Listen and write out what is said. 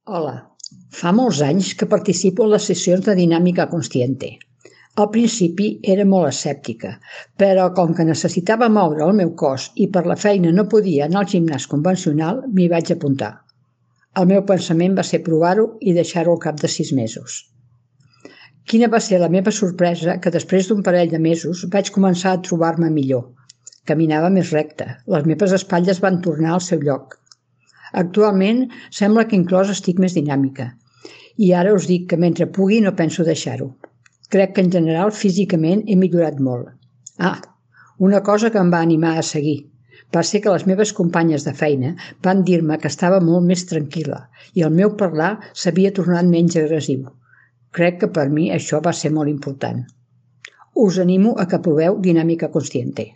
Hola, fa molts anys que participo en les sessions de dinàmica consciente. Al principi era molt escèptica, però com que necessitava moure el meu cos i per la feina no podia anar al gimnàs convencional, m'hi vaig apuntar. El meu pensament va ser provar-ho i deixar-ho al cap de 6 mesos. Quina va ser la meva sorpresa que després d'un parell de mesos vaig començar a trobar-me millor. Caminava més recte, les meves espatlles van tornar al seu lloc. Actualment sembla que inclòs estic més dinàmica i ara us dic que mentre pugui no penso deixar-ho. Crec que en general físicament he millorat molt. Una cosa que em va animar a seguir va ser que les meves companyes de feina van dir-me que estava molt més tranquil·la i el meu parlar s'havia tornat menys agressiu. Crec que per mi això va ser molt important. Us animo a que proveu dinàmica consciente.